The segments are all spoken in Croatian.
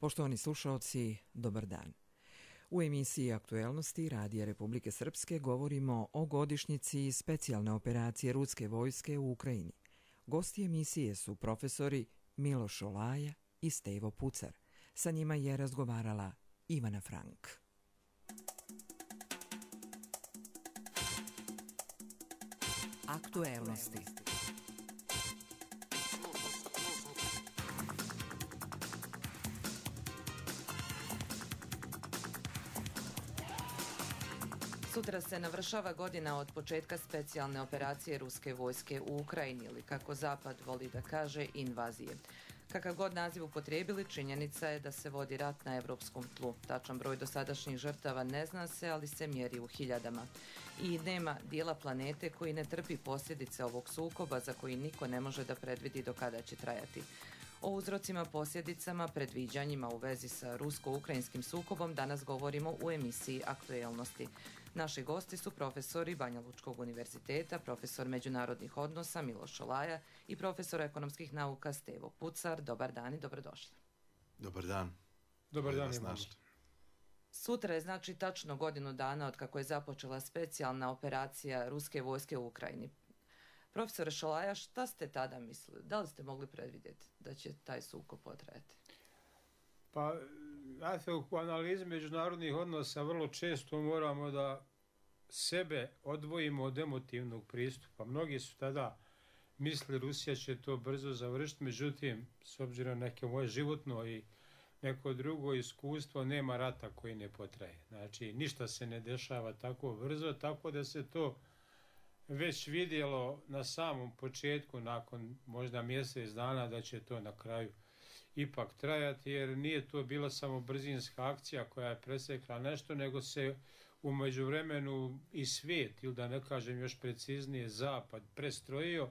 Poštovani slušaoci, dobar dan. U emisiji Aktuelnosti Radija Republike Srpske govorimo o godišnjici specijalne operacije ruske vojske u Ukrajini. Gosti emisije su profesori Miloš Šolaja i Stevo Pucar. Sa njima je razgovarala Ivana Frank. Aktuelnosti. Sutra se navršava godina od početka specijalne operacije ruske vojske u Ukrajini ili, kako Zapad voli da kaže, invazije. Kakav god naziv upotrijebili, činjenica je da se vodi rat na evropskom tlu. Tačan broj dosadašnjih žrtava ne zna se, ali se mjeri u hiljadama. I nema dijela planete koji ne trpi posljedice ovog sukoba za koji niko ne može da predvidi do kada će trajati. O uzrocima, posljedicama, predviđanjima u vezi sa rusko-ukrajinskim sukobom danas govorimo u emisiji Aktuelnosti. Naši gosti su profesori Banja Lučkog univerziteta, profesor međunarodnih odnosa Miloš Šolaja i profesor ekonomskih nauka Stevo Pucar. Dobar dan i dobrodošli. Dobar dan. Dobar dan. Sutra je znači tačno godinu dana od kako je započela specijalna operacija ruske vojske u Ukrajini. Profesore Šolaja, šta ste tada mislili? Da li ste mogli predvidjeti da će taj sukob potrajati? Pa, u analizi međunarodnih odnosa vrlo često moramo da sebe odvojimo od emotivnog pristupa. Mnogi su tada mislili Rusija će to brzo završiti, međutim, s obzirom na neke moje životno i neko drugo iskustvo, nema rata koji ne potraje. Znači, ništa se ne dešava tako brzo, tako da se to već vidjelo na samom početku, nakon možda mjesec dana, da će to na kraju ipak trajati, jer nije to bila samo brzinska akcija koja je presekla nešto, nego se u međuvremenu i svijet, ili da ne kažem još preciznije, Zapad prestrojio,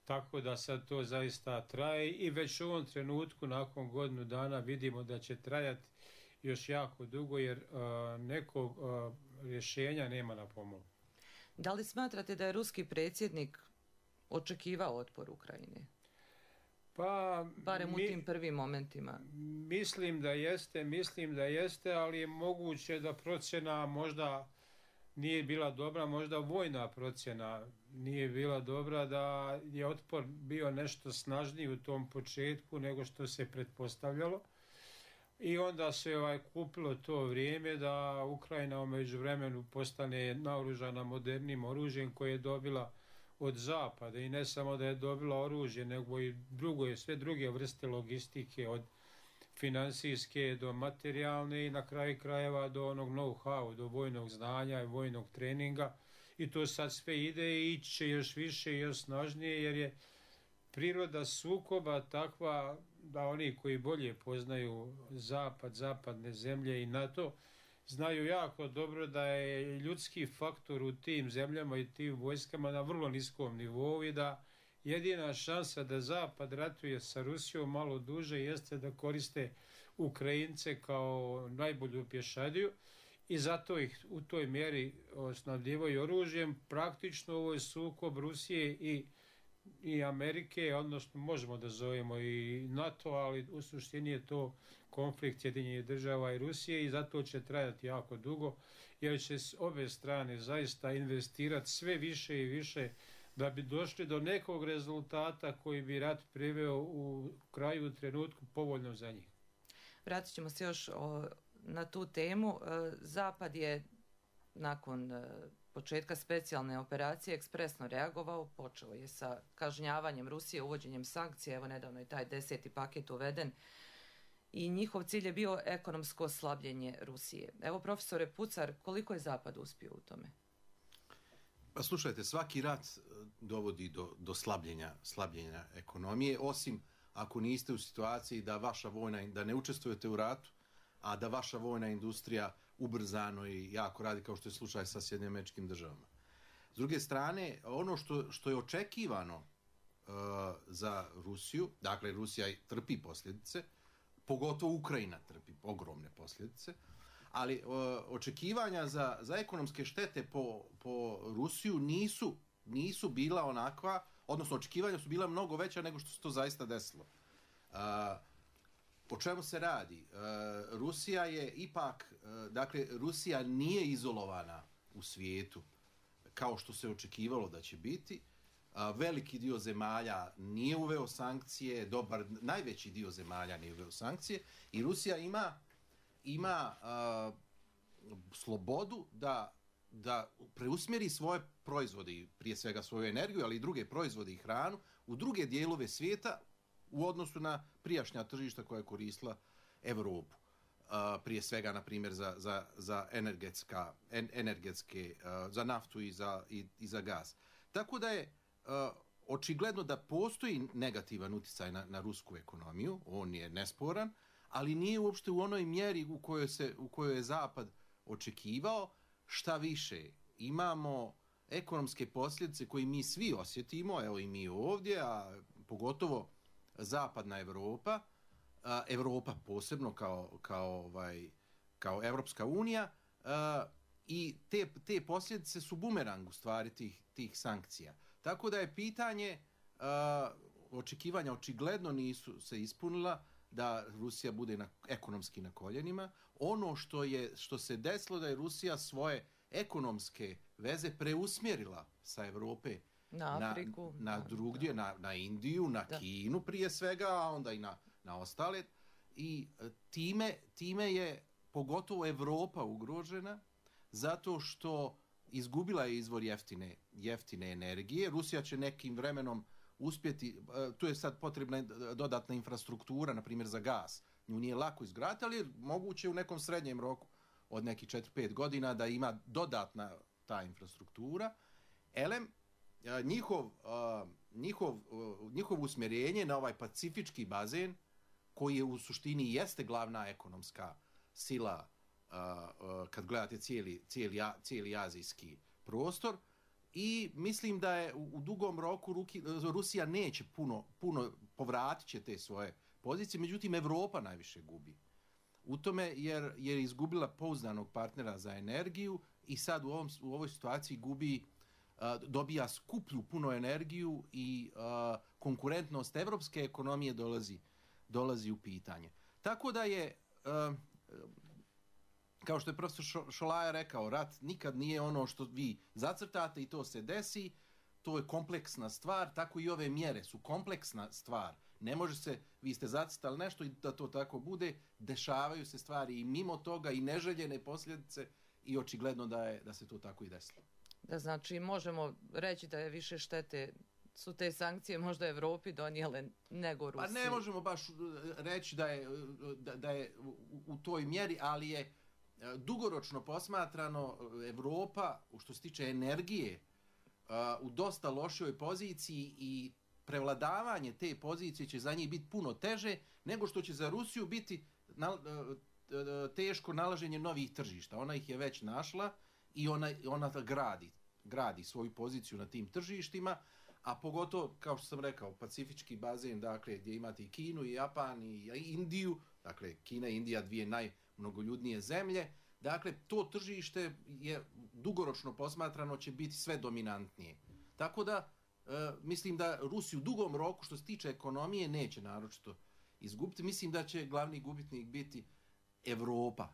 tako da sad to zaista traje i već u ovom trenutku, nakon godinu dana, vidimo da će trajati još jako dugo, jer nekog rješenja nema na pomolu. Da li smatrate da je ruski predsjednik očekivao otpor Ukrajine? Pa, barem u tim prvim momentima. Mislim da jeste, ali je moguće da procjena možda nije bila dobra, možda vojna procjena nije bila dobra, da je otpor bio nešto snažniji u tom početku nego što se pretpostavljalo. I onda se kupilo to vrijeme da Ukrajina u međuvremenu postane naoružana modernim oružjem koje je dobila od Zapada, i ne samo da je dobila oružje, nego i sve druge vrste logistike, od finansijske do materijalne i na kraju krajeva do onog know-how, do vojnog znanja i vojnog treninga, i to sad sve ide i ići će još više i još snažnije, jer je priroda sukoba takva da oni koji bolje poznaju Zapad, zapadne zemlje i NATO, znaju jako dobro da je ljudski faktor u tim zemljama i tim vojskama na vrlo niskom nivou i da jedina šansa da Zapad ratuje sa Rusijom malo duže jeste da koriste Ukrajince kao najbolju pješadiju, i zato ih u toj mjeri snabdijevaju oružjem. Praktično ovo je sukob Rusije i Amerike, odnosno možemo da zovemo i NATO, ali u suštini je to konflikt Sjedinjenih država i Rusije, i zato će trajati jako dugo, jer će s obe strane zaista investirati sve više i više da bi došli do nekog rezultata koji bi rat priveo u kraju, u trenutku povoljno za njih. Vratit ćemo se još na tu temu. Zapad je nakon početka specijalne operacije ekspresno reagovao, počeo je sa kažnjavanjem Rusije, uvođenjem sankcija, evo nedavno je taj 10. paket uveden, i njihov cilj je bio ekonomsko slabljenje Rusije. Evo, profesore Pucar, koliko je Zapad uspio u tome? Pa slušajte, svaki rat dovodi do slabljenja ekonomije, osim ako niste u situaciji da ne učestvujete u ratu, a da vaša vojna industrija ubrzano i jako radi, kao što je slučaj sa Sjedinjenim Američkim Državama. S druge strane, ono što je očekivano za Rusiju, dakle Rusija trpi posljedice, pogotovo Ukrajina trpi ogromne posljedice, ali očekivanja za ekonomske štete po Rusiju nisu bila onakva, odnosno očekivanja su bila mnogo veća nego što se to zaista desilo. O čemu se radi? Rusija je ipak, dakle, Rusija nije izolovana u svijetu kao što se očekivalo da će biti. Veliki dio zemalja nije uveo sankcije, najveći dio zemalja nije uveo sankcije i Rusija ima slobodu da preusmjeri svoje proizvode, prije svega svoju energiju, ali i druge proizvode i hranu, u druge dijelove svijeta u odnosu na prijašnja tržišta koja je koristila Evropu. Prije svega, na primjer, za energetske, za naftu i za gaz. Tako da je očigledno da postoji negativan utjecaj na rusku ekonomiju, on je nesporan, ali nije uopšte u onoj mjeri u kojoj je Zapad očekivao. Šta više, imamo ekonomske posljedice koje mi svi osjetimo, evo i mi ovdje, a pogotovo zapadna Evropa, Evropa posebno kao Evropska unija, i te posljedice su bumerang u stvari tih sankcija. Tako da je pitanje, očekivanja očigledno nisu se ispunila da Rusija bude ekonomski na koljenima. Ono što se desilo da je Rusija svoje ekonomske veze preusmjerila sa Evrope na Afriku, na drugdje, na Indiju, na Kinu prije svega, a onda i na ostale. I time je pogotovo Evropa ugrožena zato što izgubila je izvor jeftine energije. Rusija će nekim vremenom uspjeti, tu je sad potrebna dodatna infrastruktura, na primjer za gas. Nju nije lako izgraditi, ali je moguće u nekom srednjem roku od nekih 4-5 godina da ima dodatna ta infrastruktura. Njihovo usmjerenje na ovaj pacifički bazen, koji je u suštini jeste glavna ekonomska sila kad gledate cijeli azijski prostor, i mislim da je u dugom roku Rusija neće puno povratit će te svoje pozicije, međutim Evropa najviše gubi u tome jer je izgubila pouzdanog partnera za energiju i sad u ovoj situaciji dobija skuplju puno energiju i konkurentnost evropske ekonomije dolazi u pitanje. Tako da je, kao što je profesor Šolaja rekao, rat nikad nije ono što vi zacrtate i to se desi. To je kompleksna stvar, tako i ove mjere su kompleksna stvar. Ne može se, vi ste zacrtali nešto i da to tako bude, dešavaju se stvari i mimo toga i neželjene posljedice i očigledno da se to tako i desilo. Da, znači možemo reći da je više štete su te sankcije možda Evropi donijele nego Rusiji. Pa ne možemo baš reći da je u toj mjeri, ali je dugoročno posmatrano Evropa, što se tiče energije, u dosta lošoj poziciji i prevladavanje te pozicije će za njih biti puno teže nego što će za Rusiju biti teško nalaženje novih tržišta. Ona ih je već našla i ona gradi svoju poziciju na tim tržištima, a pogotovo, kao što sam rekao, pacifički bazen, dakle, gdje imate i Kinu, i Japan, i Indiju, dakle, Kina i Indija, dvije najmnogoljudnije zemlje, dakle, to tržište je dugoročno posmatrano će biti sve dominantnije. Tako da, mislim da Rusiju u dugom roku, što se tiče ekonomije, neće naročito izgubiti. Mislim da će glavni gubitnik biti Evropa,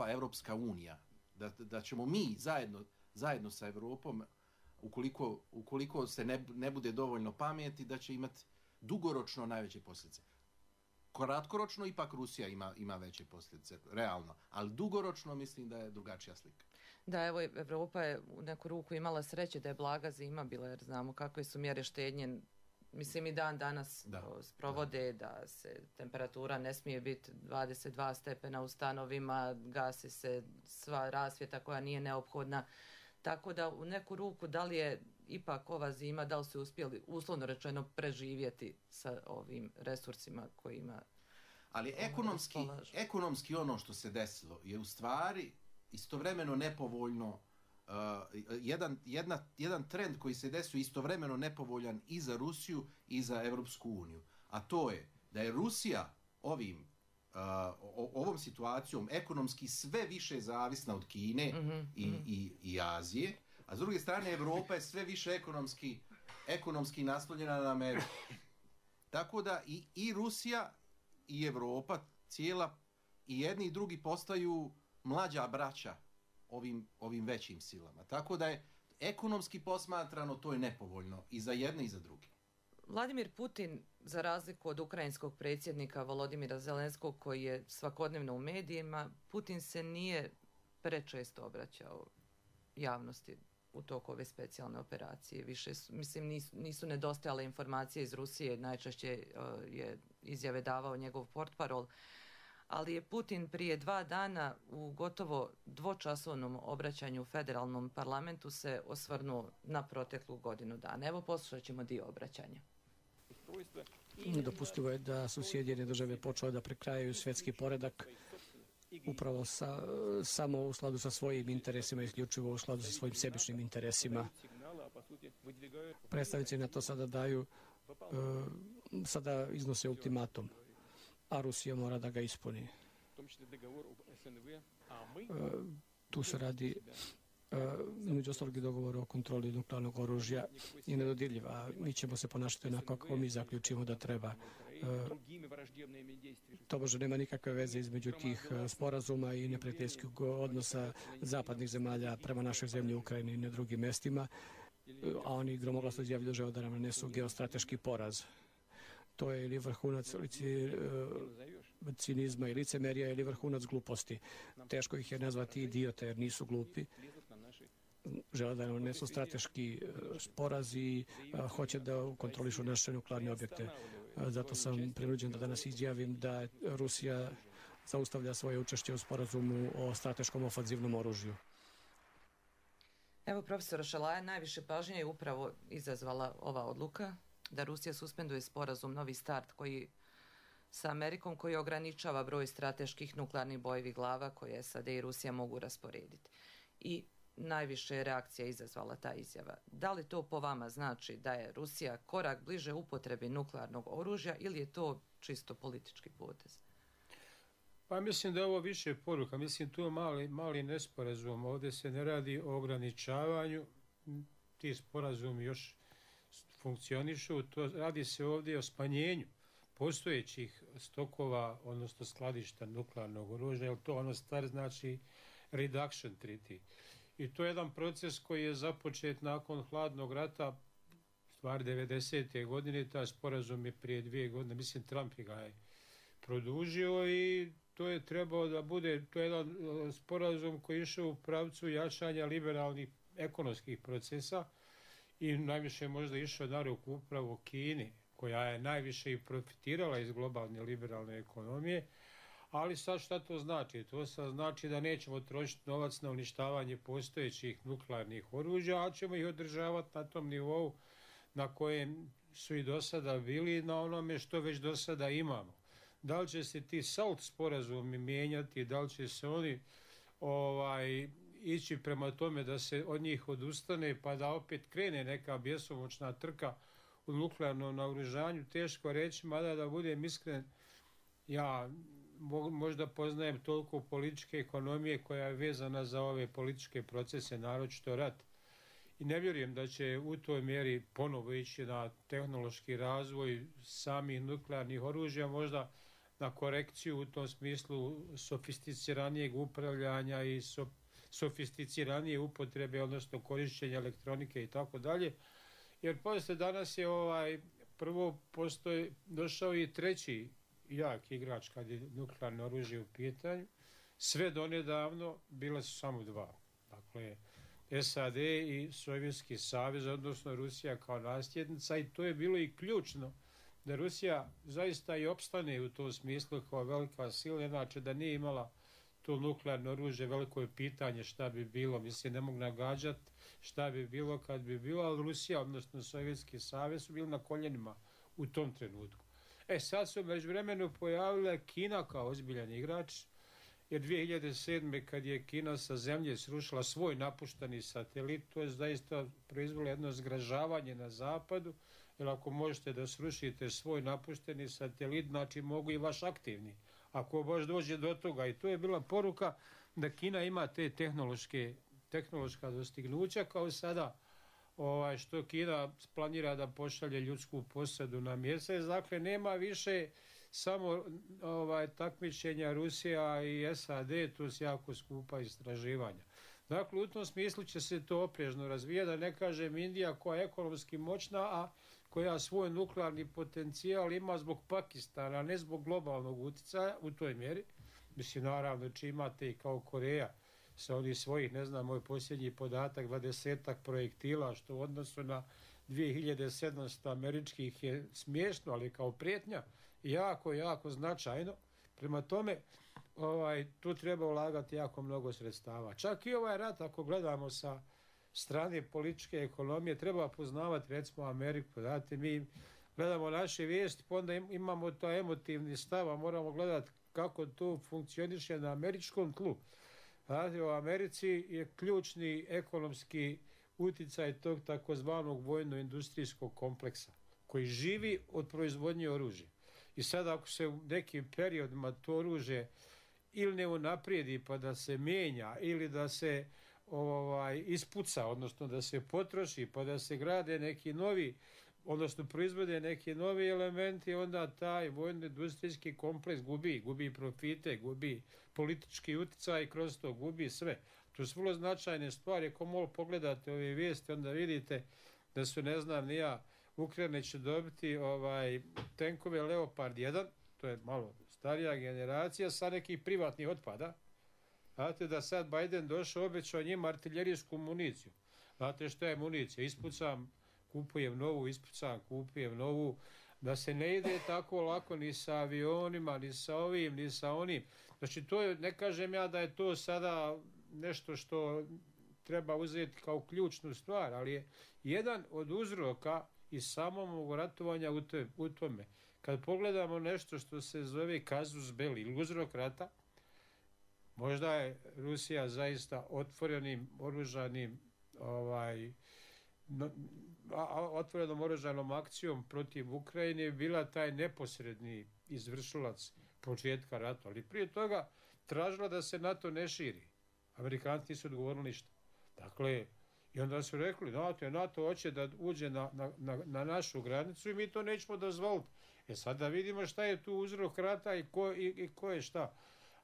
Evropska unija. Da ćemo mi zajedno sa Evropom, ukoliko se ne bude dovoljno pameti, da će imati dugoročno najveće posljedice. Kratkoročno ipak Rusija ima veće posljedice, realno, ali dugoročno mislim da je drugačija slika. Da, evo, Evropa je u neku ruku imala sreće da je blaga zima bila, jer znamo kakve su mjere štednje, mislim i dan danas sprovode, da se temperatura ne smije biti 22 stepena u stanovima, gasi se sva rasvjeta koja nije neophodna. Tako da u neku ruku da li je ipak ova zima, da li su uspjeli uslovno rečeno preživjeti sa ovim resursima kojima... Ali ekonomski ono što se desilo je u stvari istovremeno nepovoljno, jedan trend koji se desio istovremeno nepovoljan i za Rusiju i za Evropsku uniju. A to je da je Rusija ovom situacijom ekonomski sve više zavisna od Kine i Azije, a s druge strane Evropa je sve više ekonomski naslonjena na Ameriku. Tako da i Rusija i Europa cijela i jedni i drugi postaju mlađa braća ovim većim silama. Tako da je ekonomski posmatrano to je nepovoljno i za jedne i za druge. Vladimir Putin, za razliku od ukrajinskog predsjednika Volodimira Zelenskog koji je svakodnevno u medijima, Putin se nije prečesto obraćao javnosti u toku ove specijalne operacije. Više, nisu nedostajale informacije iz Rusije, najčešće je izjave davao njegov portparol, ali je Putin prije 2 dana u gotovo dvočasovnom obraćanju u federalnom parlamentu se osvrnuo na proteklu godinu dana. Evo poslušat ćemo dio obraćanja. Dopustivo je da su Sjedinjene države počele da prekrajaju svjetski poredak upravo samo u skladu sa svojim interesima, isključivo u skladu sa svojim sebičnim interesima. Predstavnici na to sada iznose ultimatum, a Rusija mora da ga ispuni. Tu se radi među ostalog i dogovor o kontroli nuklearnog oružja je nedodirljiv, a mi ćemo se ponašati onako kako mi zaključimo da treba. To možda nema nikakve veze između tih sporazuma i neprijateljskog odnosa zapadnih zemalja prema našoj zemlji Ukrajini i na drugim mjestima, a oni gromoglasno izjavljuju da žele da nam nanesu geostrateški poraz. To je ili vrhunac cinizma i licemerija ili vrhunac gluposti. Teško ih je nazvati idiote jer nisu glupi. Žele da nam nanesu strateški sporaz i hoće da kontrolišu naše nuklearne objekte. Zato sam prinuđen da danas izjavim da Rusija zaustavlja svoje učešće u sporazumu o strateškom ofanzivnom oružju. Evo, profesora Šalaja, najviše pažnje je upravo izazvala ova odluka da Rusija suspenduje sporazum Novi start sa Amerikom koji ograničava broj strateških nuklearnih bojevih glava koje SAD i Rusija mogu rasporediti. I najviše je reakcija izazvala ta izjava. Da li to po vama znači da je Rusija korak bliže upotrebi nuklearnog oružja ili je to čisto politički potez? Pa mislim da je ovo više poruka. Mislim tu je mali nesporazum. Ovdje se ne radi o ograničavanju. Ti sporazumi još funkcionišu. Radi se ovdje o smanjenju postojećih stokova, odnosno skladišta nuklearnog oružja, jer to ono stvar znači reduction treaty. I to je jedan proces koji je započet nakon hladnog rata, stvar 90. godine, taj sporazum je prije 2 godine, mislim Trump ga je produžio i to je trebao da bude, to je jedan sporazum koji je išao u pravcu jačanja liberalnih ekonomskih procesa i najviše možda išao na ruku upravo Kini, koja je najviše i profitirala iz globalne liberalne ekonomije. Ali sad šta to znači? To sad znači da nećemo trošiti novac na uništavanje postojećih nuklearnih oružja, a ćemo ih održavati na tom nivou na kojem su i do sada bili, na onome što već do sada imamo. Da li će se ti SALT sporazumi mijenjati, da li će se oni ići prema tome da se od njih odustane pa da opet krene neka bjesomučna trka u nuklearnom naoružanju, teško reći, mada da budem iskren, ja možda poznajem toliko političke ekonomije koja je vezana za ove političke procese, naročito rat. I ne vjerujem da će u toj mjeri ponovo ići na tehnološki razvoj samih nuklearnih oružja, možda na korekciju u tom smislu sofisticiranijeg upravljanja i sofisticiranije upotrebe, odnosno korišćenja elektronike i tako dalje. Jer poslije danas je prvo došao i treći jak igrač kad je nuklearno oružje u pitanju. Sve donedavno bile su samo 2. Dakle, SAD i Sovjetski savez, odnosno Rusija kao nasljednica, i to je bilo i ključno da Rusija zaista i opstane u tom smislu kao velika sila, inače da nije imala to nuklearno oružje, veliko je pitanje šta bi bilo, mislim ne mogu nagađati šta bi bilo kad bi bilo, ali Rusija, odnosno Sovjetski savez su bili na koljenima u tom trenutku. Sad su međuvremenu pojavila Kina kao ozbiljan igrač, jer 2007. kad je Kina sa zemlje srušila svoj napušteni satelit, to je zaista proizvelo jedno zgražavanje na zapadu, jer ako možete da srušite svoj napušteni satelit, znači mogu i vaš aktivni. Ako baš dođe do toga, i to je bila poruka da Kina ima te tehnološka dostignuća, kao sada što Kina planira da pošalje ljudsku posadu na mjesec. Dakle, nema više samo takmičenja Rusija i SAD, to su jako skupa istraživanja. Dakle, u tom smislu će se to oprežno razvijati, da ne kažem Indija koja je ekonomski moćna, a koja svoj nuklearni potencijal ima zbog Pakistana, a ne zbog globalnog utjecaja u toj mjeri. Mislim, naravno, či imate i kao Koreja sa onih svojih, ne znam, moj posljednji podatak, 20-ak projektila, što u odnosu na 2700 američkih je smiješno, ali kao prijetnja jako, jako značajno. Prema tome, tu treba ulagati jako mnogo sredstava. Čak i ovaj rat, ako gledamo sa strane političke ekonomije, treba poznavati recimo Ameriku. Znate, mi gledamo naše vijesti, pa onda imamo to emotivni stav, a moramo gledati kako to funkcioniše na američkom tlu. Znate, u Americi je ključni ekonomski utjecaj tog takozvanog vojno-industrijskog kompleksa, koji živi od proizvodnje oružja. I sad ako se u nekim periodima to oružje ili ne unaprijedi pa da se mijenja, ili da se ispuca, odnosno da se potroši pa da se grade neki novi, odnosno proizvode neki novi elementi, onda taj vojno-industrijski kompleks gubi profite, gubi politički utjecaj i kroz to gubi sve. To su vrlo značajne stvari. Ako malo pogledate ove vijesti, onda vidite da su, ne znam ni ja, Ukrajina će dobiti tenkove Leopard 1, to je malo starija generacija, sa nekih privatnih otpada. Znate da sad Biden došao, obećao njima artiljerijsku municiju. Znate što je municija? Ispucam, kupujem novu, ispucam, kupujem novu. Da se ne ide tako lako ni sa avionima, ni sa ovim, ni sa onim. Znači, to je, ne kažem ja da je to sada nešto što treba uzeti kao ključnu stvar, ali je jedan od uzroka i samog ratovanja u tome. Kad pogledamo nešto što se zove casus belli ili uzrok rata, možda je Rusija zaista otvorenom oružanom akcijom protiv Ukrajine bila taj neposredni izvršilac početka rata, ali prije toga tražila da se NATO ne širi. Amerikanci nisu odgovorili ništa. Dakle, i onda su rekli, NATO hoće da uđe na našu granicu i mi to nećemo dozvoliti. Sad da vidimo šta je tu uzrok rata i ko je šta.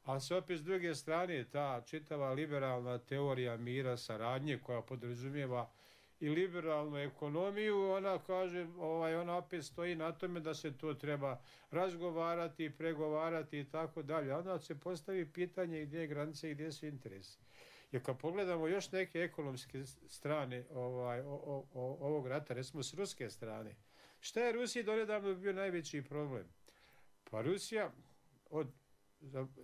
A se opet s druge strane ta čitava liberalna teorija mira, saradnje koja podrazumijeva i liberalnu ekonomiju, ona kaže, ona opet stoji na tome da se to treba razgovarati, pregovarati i tako dalje. Onda se postavi pitanje gdje je granice i gdje su interesi. Jer kad pogledamo još neke ekonomske strane ovog rata, recimo s ruske strane, šta je Rusiji donedavno bio najveći problem? Pa Rusija od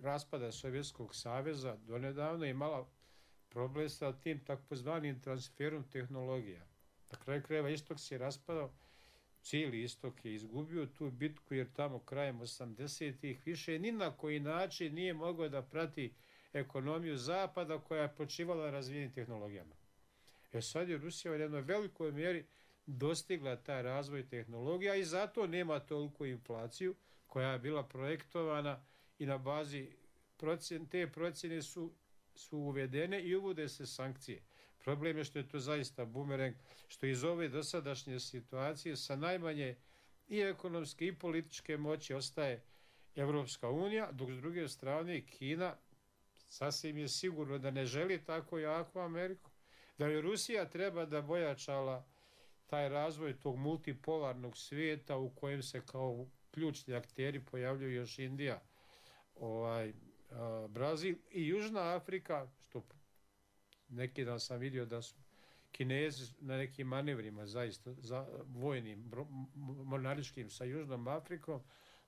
raspada Sovjetskog saveza donedavno imala problem sa tim takozvanim transferom tehnologija. Na kraju krajeva istok se je raspadao, cijeli istok je izgubio tu bitku jer tamo krajem 80-ih više ni na koji način nije mogao da prati ekonomiju zapada koja je počivala na razvijenim tehnologijama. Sad je Rusija u jednoj velikoj mjeri dostigla taj razvoj tehnologija i zato nema toliku inflaciju koja je bila projektovana i na bazi te procjene su uvedene i uvode se sankcije. Problem je što je to zaista bumerang, što iz ove dosadašnje situacije sa najmanje i ekonomske i političke moći ostaje Evropska unija, dok s druge strane Kina sasvim je sigurno da ne želi tako jaku Ameriku, da je Rusija treba da bojačala taj razvoj tog multipolarnog svijeta u kojem se kao ključni akteri pojavljuju još Indija, Brazil i Južna Afrika, što neki dan sam vidio da su Kinezi na nekim manevrima zaista vojnim, monaričkim sa Južnom Afrikom.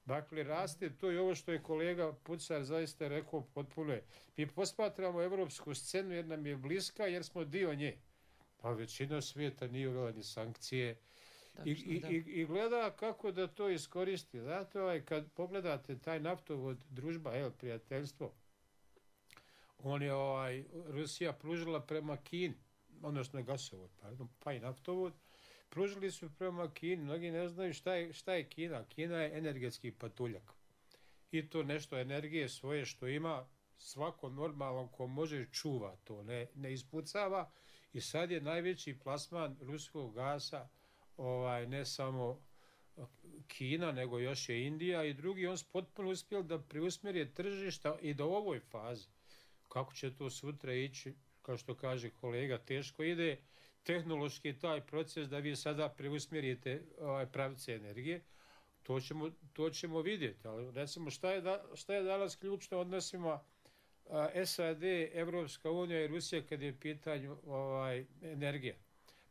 Dakle, raste to i ovo što je kolega Pucar zaista rekao potpuno je. Mi posmatramo evropsku scenu jer nam je bliska jer smo dio nje. Pa većina svijeta nije uvela ni sankcije i gleda kako da to iskoristi. Zato kad pogledate taj naftovod Družba, prijateljstvo, on je Rusija pružila prema Kini, odnosno gasovod, pa i naftovod, pružili su prema Kini. Mnogi ne znaju šta je Kina. Kina je energetski patuljak. I to nešto energije svoje što ima, svako normalno ko može čuva to, ne ispucava. I sad je najveći plasman ruskog gasa ne samo Kina, nego još je Indija i drugi, on su potpuno uspjeli da preusmjeri tržišta i da u ovoj fazi. Kako će to sutra ići, kao što kaže kolega, teško ide tehnološki taj proces da vi sada preusmjerite pravce energije. To ćemo vidjeti, ali recimo šta je danas ključno odnosima SAD, Evropska unija i Rusija kad je pitanju energija.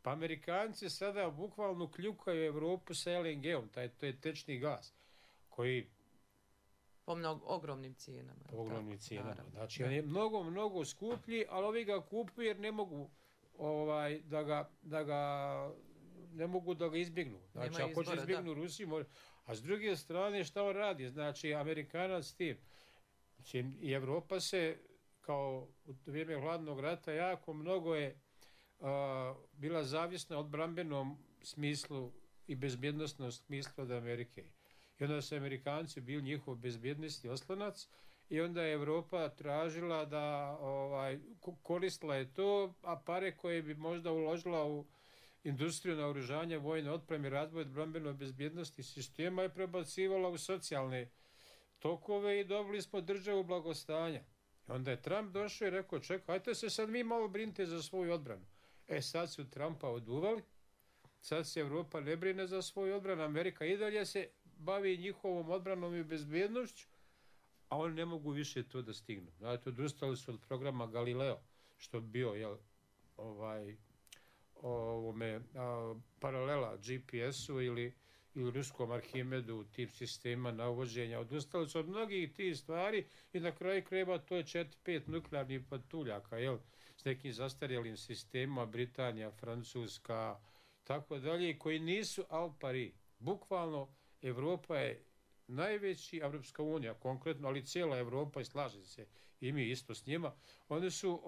Pa Amerikanci sada bukvalno kljukaju Evropu sa LNG-om, to je tečni gas, koji... Po ogromnim cijenama. Po ogromnim cijenama. Znači, on je mnogo skuplji, ali ovi ga kupuju jer ne mogu ne mogu da ga izbjegnu. Znači, ako će izbjegnu Rusiju, a s druge strane šta on radi? Znači, Amerikanac s tim. Znači, i Evropa se, kao u vrijeme hladnog rata, jako mnogo je bila zavisna od brambenom smislu i bezbjednostnom smislu od Amerike. I onda su Amerikanci bili njihov bezbjednosti oslonac i onda je Evropa tražila da koristila je to, a pare koje bi možda uložila u industriju naoružanja, vojne otpreme, razvoj brambeno bezbjednosti sistema je prebacivala u socijalne tokove i dobili smo državu blagostanja. I onda je Trump došao i rekao, čekaj, ajte se sad vi malo brinite za svoju odbranu. Sad su Trumpa oduvali, sad se Evropa ne brine za svoju odbranu, Amerika i dalje se bavi njihovom odbranom i bezbjednošću, a oni ne mogu više to da stignu. Znači, odustali su od programa Galileo, što bi bio paralela GPS-u ili ruskom Arhimedu, tip sistema navođenja. Odustali su od mnogih tih stvari i na kraju krajeva to je 4-5 nuklearnih patuljaka, s nekim zastarjelim sistemima, Britanija, Francuska, tako dalje, koji nisu al pari. Bukvalno, Evropa je najveći, Evropska unija konkretno, ali cijela Evropa, i slaže se i mi isto s njima, oni su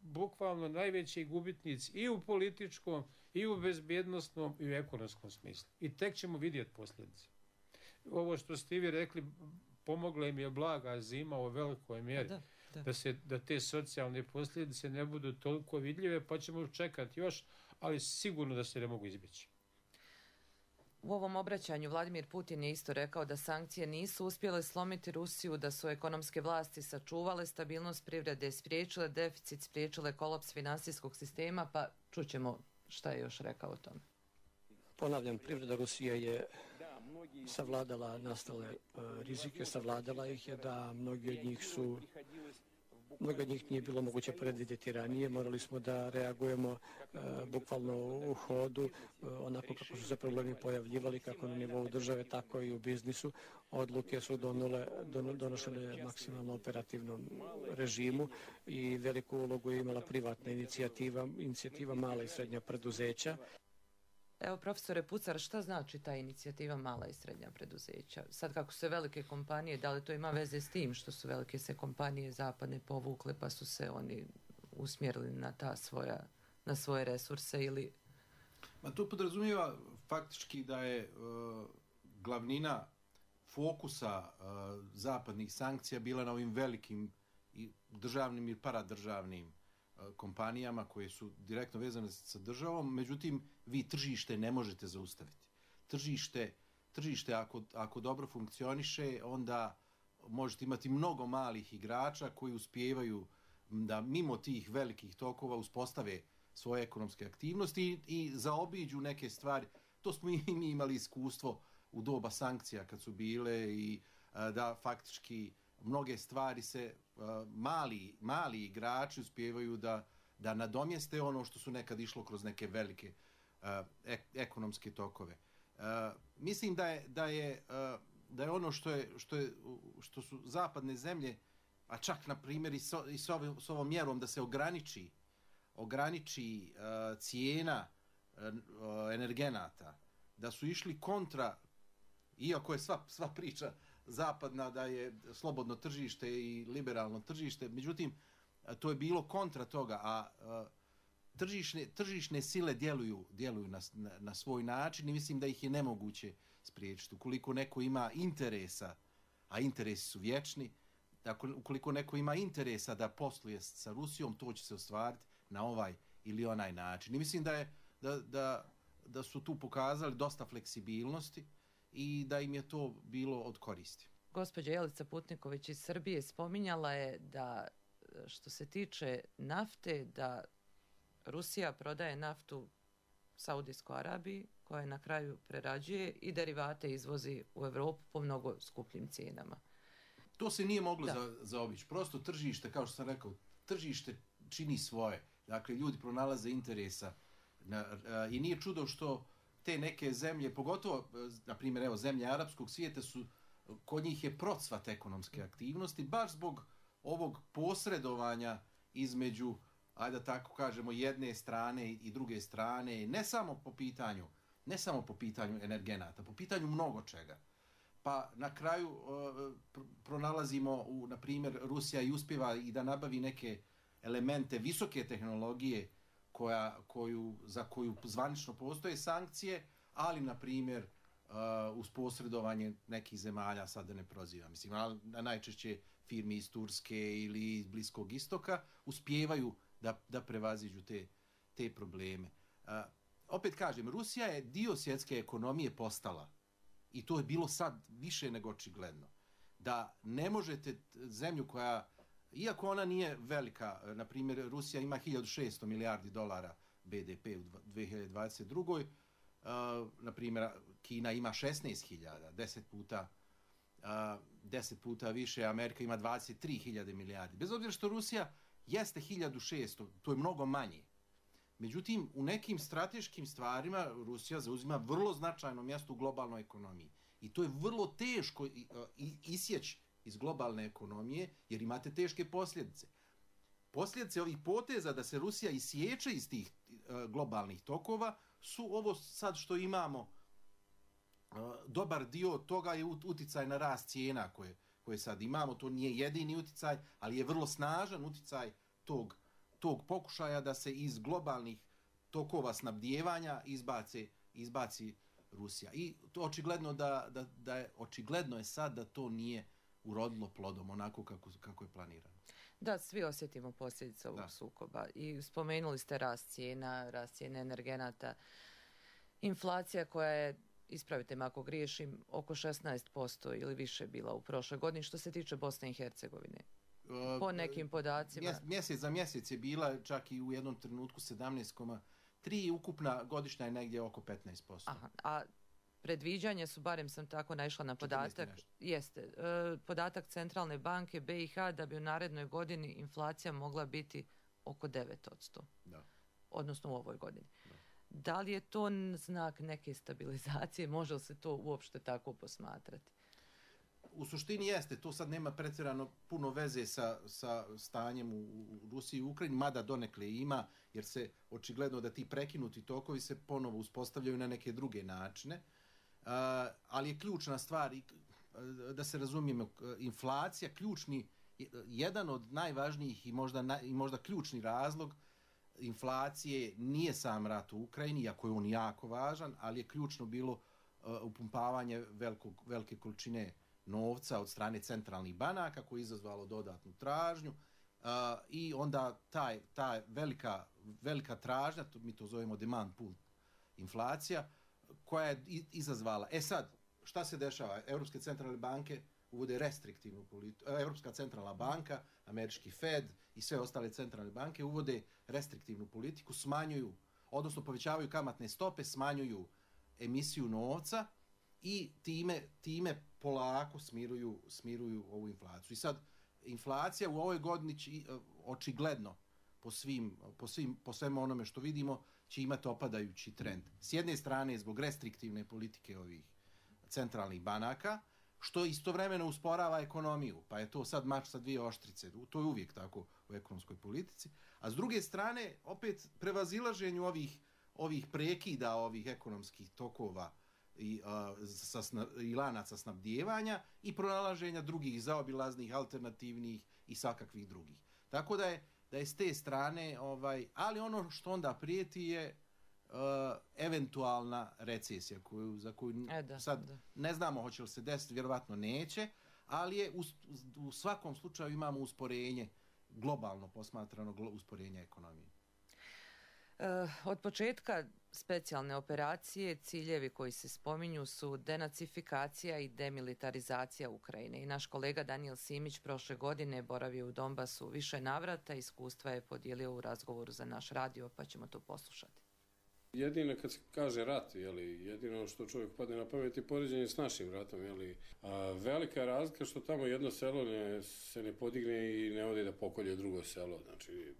bukvalno najveći gubitnici i u političkom, i u bezbjednostnom, i u ekonomskom smislu. I tek ćemo vidjeti posljedice. Ovo što ste vi rekli, pomogla im je blaga zima u velikoj mjeri. Da te socijalne posljedice ne budu toliko vidljive, pa ćemo čekati još, ali sigurno da se ne mogu izbjeći. U ovom obraćanju Vladimir Putin je isto rekao da sankcije nisu uspjele slomiti Rusiju, da su ekonomske vlasti sačuvale stabilnost privrede, spriječile deficit, spriječile kolaps finansijskog sistema, pa čućemo šta je još rekao o tome. Ponavljam, privreda Rusije je savladala nastale rizike, savladala ih je da mnogi od njih nije bilo moguće predvidjeti ranije. Morali smo da reagujemo bukvalno u hodu, onako kako su se problemi pojavljivali, kako na nivou države, tako i u biznisu. Odluke su donošene maksimalno operativnom režimu i veliku ulogu je imala privatna inicijativa mala i srednja preduzeća. Evo, profesore Pucar, šta znači ta inicijativa mala i srednja preduzeća? Sad kako su se velike kompanije, da li to ima veze s tim što su velike se kompanije zapadne povukle pa su se oni usmjerili na svoje resurse ili... To podrazumijeva faktički da je glavnina fokusa zapadnih sankcija bila na ovim velikim i državnim i paradržavnim kompanijama koje su direktno vezane sa državom, međutim, vi tržište ne možete zaustaviti. Tržište ako dobro funkcioniše, onda možete imati mnogo malih igrača koji uspijevaju da mimo tih velikih tokova uspostave svoje ekonomske aktivnosti i zaobiđu neke stvari. To smo i mi imali iskustvo u doba sankcija kad su bile i da faktički mnoge stvari se mali igrači uspijevaju da nadomjeste ono što su nekad išlo kroz neke velike ekonomske tokove. Mislim da je ono što su zapadne zemlje, a čak na primjer i s ovom mjerom da se ograniči cijena energenata, da su išli kontra, iako je sva priča zapadna da je slobodno tržište i liberalno tržište, međutim, to je bilo kontra toga, a tržišne sile djeluju na svoj način i mislim da ih je nemoguće spriječiti. Ukoliko neko ima interesa, a interesi su vječni, ukoliko neko ima interesa da posluje sa Rusijom, to će se ostvariti na ovaj ili onaj način. I mislim da da su tu pokazali dosta fleksibilnosti i da im je to bilo od koristi. Gospođa Jelica Putniković iz Srbije spominjala je da što se tiče nafte, da Rusija prodaje naftu Saudijskoj Arabiji, koja je na kraju prerađuje i derivate izvozi u Europu po mnogo skupljim cijenama. To se nije moglo zaobići. Prosto tržište, kao što sam rekao, tržište čini svoje. Dakle, ljudi pronalaze interesa i nije čudo što te neke zemlje, pogotovo, na primjer, evo, zemlje arapskog svijeta kod njih je procvat ekonomske aktivnosti, baš zbog ovog posredovanja između, ajde da tako kažemo, jedne strane i druge strane, ne samo po pitanju energenata, po pitanju mnogo čega. Pa na kraju pronalazimo, na primjer, Rusija i uspjeva i da nabavi neke elemente visoke tehnologije za koju zvanično postoje sankcije, ali, na primjer, uz posredovanje nekih zemalja, sad da ne prozivam, mislim, najčešće firmi iz Turske ili iz Bliskog istoka, uspijevaju da prevaziđu te probleme. Opet kažem, Rusija je dio svjetske ekonomije postala, i to je bilo sad više nego očigledno, da ne možete zemlju koja, iako ona nije velika, na primjer, Rusija ima 1600 milijardi dolara BDP u 2022. Na primjer, Kina ima 16.000, 10 puta više, Amerika ima 23.000 milijardi. Bez obzira što Rusija jeste 1600, to je mnogo manje. Međutim, u nekim strateškim stvarima Rusija zauzima vrlo značajno mjesto u globalnoj ekonomiji. I to je vrlo teško isjeći iz globalne ekonomije, jer imate teške posljedice. Posljedice ovih poteza da se Rusija isječe iz tih globalnih tokova su ovo sad što imamo. Dobar dio toga je uticaj na rast cijena koje sad imamo. To nije jedini uticaj, ali je vrlo snažan uticaj tog pokušaja da se iz globalnih tokova snabdijevanja izbaci Rusija. I to očigledno je sad da to nije urodilo plodom onako kako je planirano. Da, svi osjetimo posljedice ovog sukoba. I spomenuli ste rast cijene energenata, inflacija koja je, ispravite me ako griješim, oko 16% ili više bila u prošloj godini što se tiče Bosne i Hercegovine. Po nekim podacima. Mjesec za mjesec je bila čak i u jednom trenutku 17,3, ukupna godišnja je negdje oko 15%. Aha, a predviđanja su, barem sam tako naišla na podatak, podatak Centralne banke BiH da bi u narednoj godini inflacija mogla biti oko 9%. Da. Odnosno u ovoj godini. Da li je to znak neke stabilizacije? Može li se to uopšte tako posmatrati? U suštini jeste, to sad nema pretjerano puno veze sa stanjem u Rusiji i Ukrajini, mada donekle ima, jer se očigledno da ti prekinuti tokovi se ponovo uspostavljaju na neke druge načine. Ali je ključna stvar, da se razumijemo, inflacija, jedan od najvažnijih i možda ključni razlog inflacije nije sam rat u Ukrajini, iako je on jako važan, ali je ključno bilo upumpavanje velike količine novca od strane centralnih banaka koje je izazvalo dodatnu tražnju i onda ta velika tražnja, mi to zovemo demand pull inflacija, koja je izazvala. Sad, šta se dešava? Europske centralne banke uvode restriktivnu politiku, Europska centralna banka, američki Fed i sve ostale centralne banke uvode restriktivnu politiku, smanjuju, odnosno povećavaju kamatne stope, smanjuju emisiju novca i time polako smiruju ovu inflaciju. I sad, inflacija u ovoj godini očigledno po svemu onome što vidimo će imati opadajući trend. S jedne strane zbog restriktivne politike ovih centralnih banaka, što istovremeno usporava ekonomiju, pa je to sad mač sa dvije oštrice. To je uvijek tako u ekonomskoj politici. A s druge strane, opet prevazilaženju ovih prekida, ovih ekonomskih tokova i lanaca snabdijevanja i pronalaženja drugih zaobilaznih, alternativnih i svakakvih drugih. Tako da je s te strane, ali ono što onda prijeti je eventualna recesija za koju ne znamo hoće li se desiti, vjerovatno neće, ali je u svakom slučaju imamo usporenje, globalno posmatrano usporenje ekonomije. Od početka specijalne operacije ciljevi koji se spominju su denacifikacija i demilitarizacija Ukrajine. I naš kolega Daniel Simić prošle godine boravio u Donbasu više navrata, iskustva je podijelio u razgovoru za naš radio, pa ćemo to poslušati. Jedino kad se kaže rat, jedino što čovjek padne na pamet je poređenje s našim ratom. Velika je razlika što tamo jedno selo se ne podigne i ne ode da pokolje drugo selo. Znači,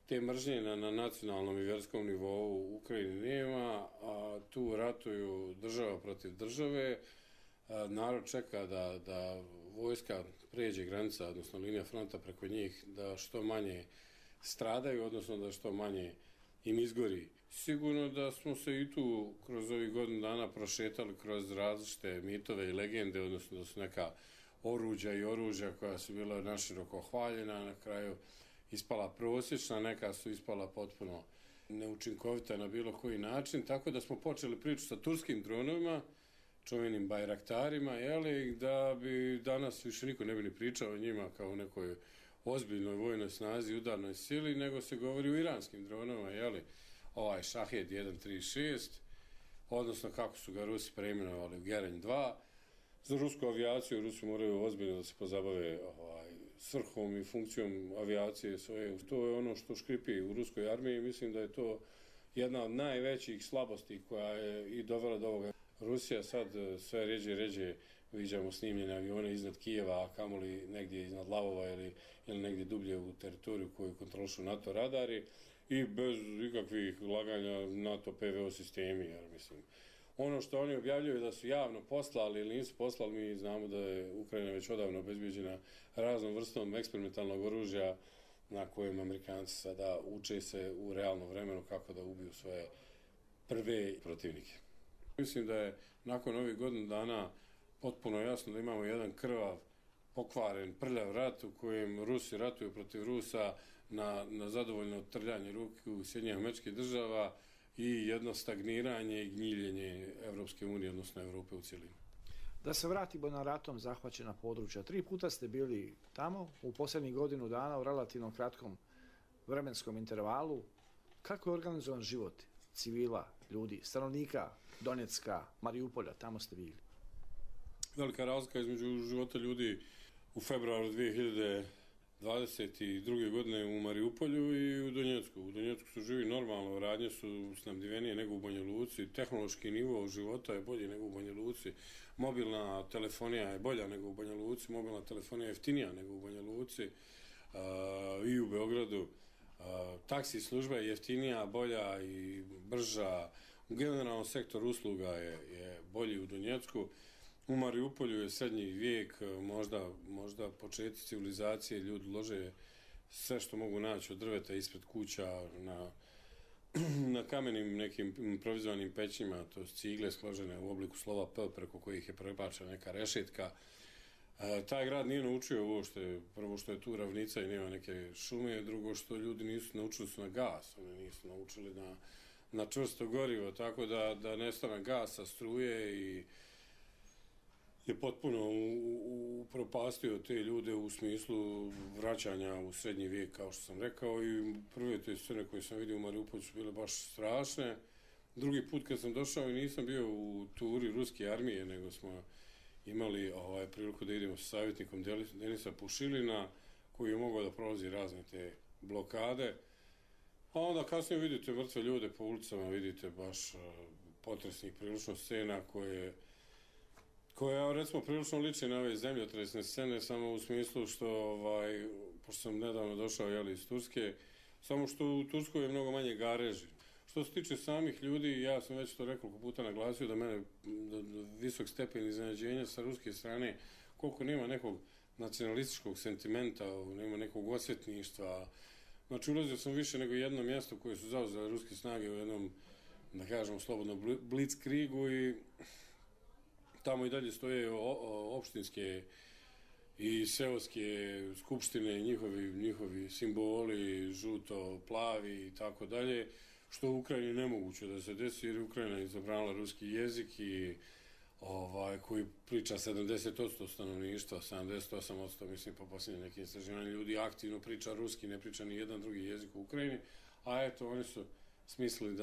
te mržnje na nacionalnom i vjerskom nivou u Ukrajini nema, a tu ratuju država protiv države. Narod čeka da vojska pređe granica, odnosno linija fronta preko njih, da što manje stradaju, odnosno da što manje im izgori. Sigurno da smo se i tu kroz ovih godinu dana prošetali kroz različite mitove i legende, odnosno da su neka oruđa koja su bila naširoko hvaljena, na kraju ispala prosječna, neka su ispala potpuno neučinkovita na bilo koji način, tako da smo počeli priču sa turskim dronovima, čuvenim bajraktarima, da bi danas više niko ne bi ni pričao o njima kao o nekoj ozbiljnoj vojnoj snazi, udarnoj sili, nego se govori o iranskim dronovima, ovaj Shahed 136, odnosno kako su ga Rusi preimenovali u Geranj 2. Za rusku avijaciju Rusi moraju ozbiljno da se pozabave svrhom i funkcijom avijacije svoje. To je ono što škripi u ruskoj armiji i mislim da je to jedna od najvećih slabosti koja je i dovela do ovoga. Rusija sad sve ređe viđamo snimljene avione iznad Kijeva, a kamoli negdje iznad Lavova ili negdje dublje u teritoriju koju kontrolišu NATO radari i bez ikakvih laganja NATO PVO sistemi, jer mislim. Ono što oni objavljuju da su javno poslali ili nisu poslali, mi znamo da je Ukrajina već odavno obezbijeđena raznom vrstom eksperimentalnog oružja na kojem Amerikanci sada uče se u realnom vremenu kako da ubiju svoje prve protivnike. Mislim da je nakon ovih godinu dana potpuno jasno da imamo jedan krvav, pokvaren, prljav rat u kojem Rusi ratuju protiv Rusa na zadovoljno trljanje ruke u Sjedinjenih Američkih Država i jedno stagniranje i gnjiljenje Evropske unije, odnosno Evrope u cjelini. Da se vratimo na ratom zahvaćena područja. 3 puta ste bili tamo, u posljednjih godinu dana u relativno kratkom vremenskom intervalu. Kako je organizovan život civila, ljudi, stanovnika Donjecka, Mariupolja, tamo ste bili? Velika razlika između života ljudi u februaru 2022. godine u Mariupolju i u Donjecku. U Donjecku su živi normalno, radnje su snabdivenije nego u Banja Luci, tehnološki nivo života je bolji nego u Banja Luci, mobilna telefonija je bolja nego u Banja Luci, mobilna telefonija je jeftinija nego u Banja Luci i u Beogradu. Taksi služba je jeftinija, bolja i brža. Generalno sektor usluga je bolji u Donjecku. U Mariupolju je srednji vijek, možda početak civilizacije, ljudi lože sve što mogu naći od drveta ispred kuća na kamenim nekim improvizovanim pećima, to su cigle složene u obliku slova P preko kojih je prebačena neka rešetka. Taj grad nije naučio uopšte, prvo što je tu ravnica i nema neke šume, drugo što ljudi nisu naučili su na gas, oni nisu naučili na čvrsto gorivo, tako da nestane gasa, struje i je potpuno upropastio te ljude u smislu vraćanja u srednji vijek, kao što sam rekao, i prve te scene koje sam vidio u Mariupolju su bile baš strašne. Drugi put kad sam došao i nisam bio u turi ruske armije, nego smo imali priliku da idemo sa savjetnikom Denisa Pušilina, koji je mogao da prolazi razne te blokade. A onda kasnije vidite mrtve ljude po ulicama, vidite baš potresnih prilično scena koja recimo prilično liči na ove zemljotresne scene, samo u smislu što, pošto sam nedavno došao iz Turske, samo što u Turskoj je mnogo manje gareži. Što se tiče samih ljudi, ja sam već to nekoliko puta naglasio da mene visok stepen iznenađenja sa ruske strane, koliko nema nekog nacionalističkog sentimenta, nema nekog osvetništva. Znači, ulazio sam više nego jedno mjesto koje su zauzele ruske snage u jednom, da kažemo slobodno, blitzkriegu i tamo i dalje stoje opštinske i seoske skupštine, njihovi simboli, žuto, plavi i tako dalje, što u Ukrajini nemoguće da se desi jer Ukrajina je zabranila ruski jezik i koji priča 70% stanovništva, 78% mislim po posljednjim nekim istraživanjima ljudi aktivno priča ruski, ne priča ni jedan drugi jezik u Ukrajini, a eto, oni su smislili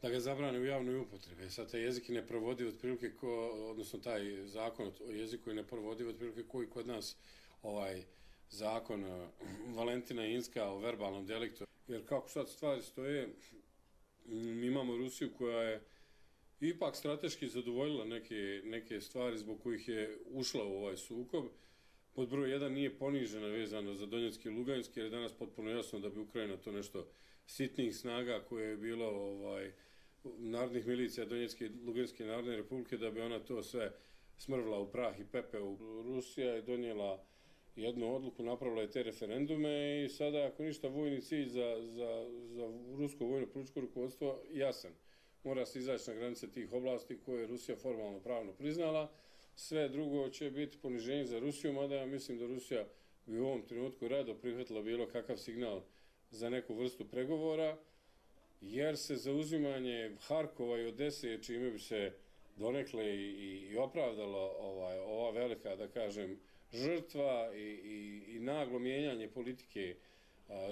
da ga zabrane u javnoj upotrebi. Sad taj jezik je neprovodiv otprilike odnosno taj zakon o jeziku je neprovodiv otprilike koji kod nas zakon Valentina Inska o verbalnom deliktu. Jer kako sad stvari stoje, mi imamo Rusiju koja je ipak strateški zadovoljila neke stvari zbog kojih je ušla u ovaj sukob. Pod broj 1 nije ponižena vezano za Donjecki i Luganski, jer je danas potpuno jasno da bi Ukrajina to nešto sitnijih snaga koje je bilo narodnih milicija Donjecke i Luganske narodne republike, da bi ona to sve smrvla u prah i pepeo. Rusija je donijela jednu odluku, napravila je te referendume i sada, ako ništa, vojni cilj za rusko vojno političko rukovodstvo jasan. Mora se izaći na granice tih oblasti koje je Rusija formalno pravno priznala. Sve drugo će biti poniženje za Rusiju, mada ja mislim da Rusija bi u ovom trenutku rado prihvatila bilo kakav signal za neku vrstu pregovora, jer se zauzimanje Harkova i Odese, čime bi se donekle i opravdalo ova velika, da kažem, žrtva i naglo mijenjanje politike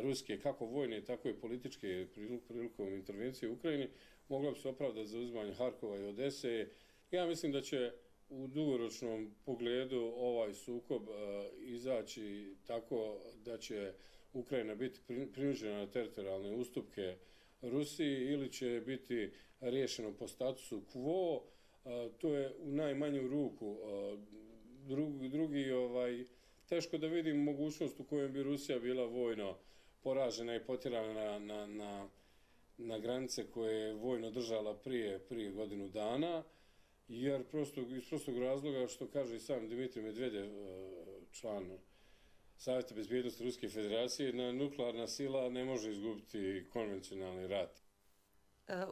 ruske, kako vojne, tako i političke prilikom intervencije u Ukrajini, moglo bi se opravdati zauzimanje Harkova i Odese. Ja mislim da će u dugoročnom pogledu ovaj sukob izaći tako da će Ukrajina biti prinuđena na teritorijalne ustupke Rusiji ili će biti riješeno po statusu quo. To je u najmanju ruku. Drugi, teško da vidim mogućnost u kojoj bi Rusija bila vojno poražena i potjerana na granice koje je vojno držala prije godinu dana, jer iz prostog razloga, što kaže i sam Dmitrij Medvedev, član Savjeta bezbjednosti Ruske federacije, nuklearna sila ne može izgubiti konvencionalni rat.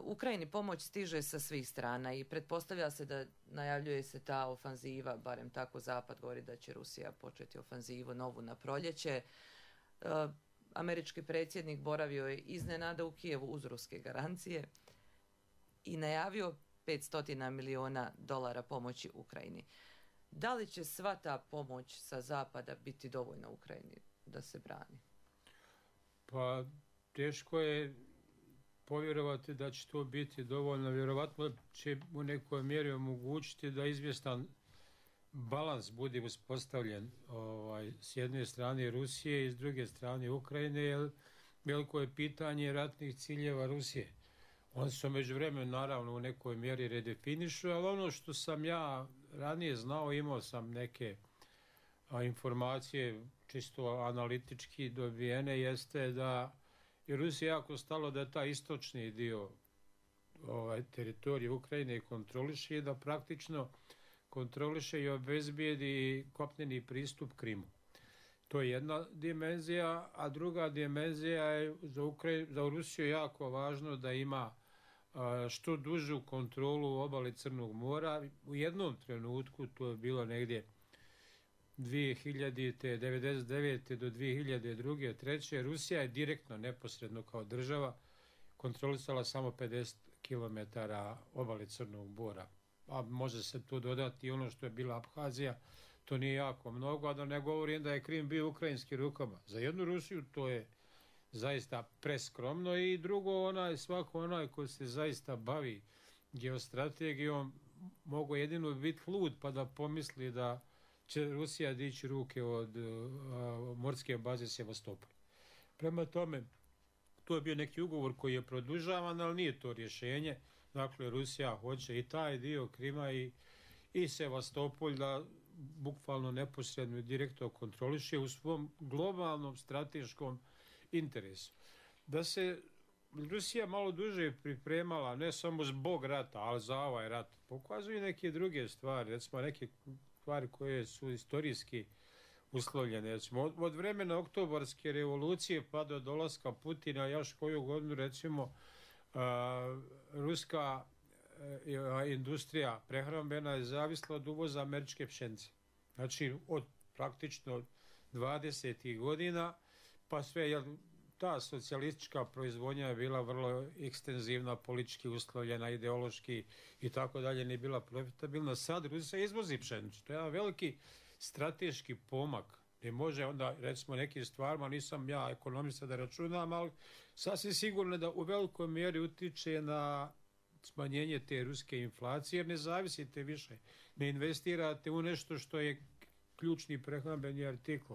Ukrajini pomoć stiže sa svih strana i pretpostavlja se da najavljuje se ta ofanziva, barem tako Zapad govori da će Rusija početi ofanzivu novu na proljeće. Američki predsjednik boravio je iznenada u Kijevu uz ruske garancije i najavio $500 milijuna pomoći Ukrajini. Da li će sva ta pomoć sa zapada biti dovoljna Ukrajini da se brani? Pa teško je povjerovati da će to biti dovoljno. Vjerovatno će u nekoj mjeri omogućiti da izvjestan balans bude uspostavljen s jedne strane Rusije i s druge strane Ukrajine, jer veliko je pitanje ratnih ciljeva Rusije. Oni su međuvremenu naravno u nekoj mjeri redefinišu, ali ono što sam ja ranije znao, imao sam neke informacije čisto analitički dobijene, jeste da je Rusija jako stalo da taj istočni dio teritorije Ukrajine kontroliše i da praktično kontroliše i obezbijedi kopneni pristup Krimu. To je jedna dimenzija, a druga dimenzija je za Rusiju jako važno da ima što dužu kontrolu obale Crnog mora. U jednom trenutku, to je bilo negdje 1999. do 2002. 2003. Rusija je direktno, neposredno kao država, kontrolisala samo 50 km obale Crnog mora. A može se tu dodati ono što je bila Abhazija, to nije jako mnogo, a da ne govorim da je Krim bio ukrajinskim rukama. Za jednu Rusiju to je zaista preskromno i drugo, svako onaj ko se zaista bavi geostrategijom mogu jedino biti lud pa da pomisli da će Rusija dići ruke od morske baze Sevastopol. Prema tome, to je bio neki ugovor koji je produžavan, ali nije to rješenje. Dakle, Rusija hoće i taj dio Krima i Sevastopol da bukvalno neposredno i direktno kontroliše u svom globalnom strateškom interesu. Da se Rusija malo duže pripremala, ne samo zbog rata, ali za ovaj rat, pokazuju neke druge stvari, recimo neke stvari koje su istorijski uslovljene. Recimo, od vremena oktobarske revolucije pa do dolaska Putina, još koju godinu, recimo, ruska industrija prehrambena je zavisla od uvoza američke pšenice. Znači, od praktično 20. godina, pa sve, ta socijalistička proizvodnja je bila vrlo ekstenzivna, politički uslovljena, ideološki i tako dalje, nije bila profitabilna. Sad Rusija izvozi pšenicu. To je jedan veliki strateški pomak. I može onda, recimo, nekim stvarima, nisam ja ekonomista da računam, ali sasvim sigurno da u velikoj mjeri utiče na smanjenje te ruske inflacije, jer ne zavisite više, ne investirate u nešto što je ključni prehrambeni artikl.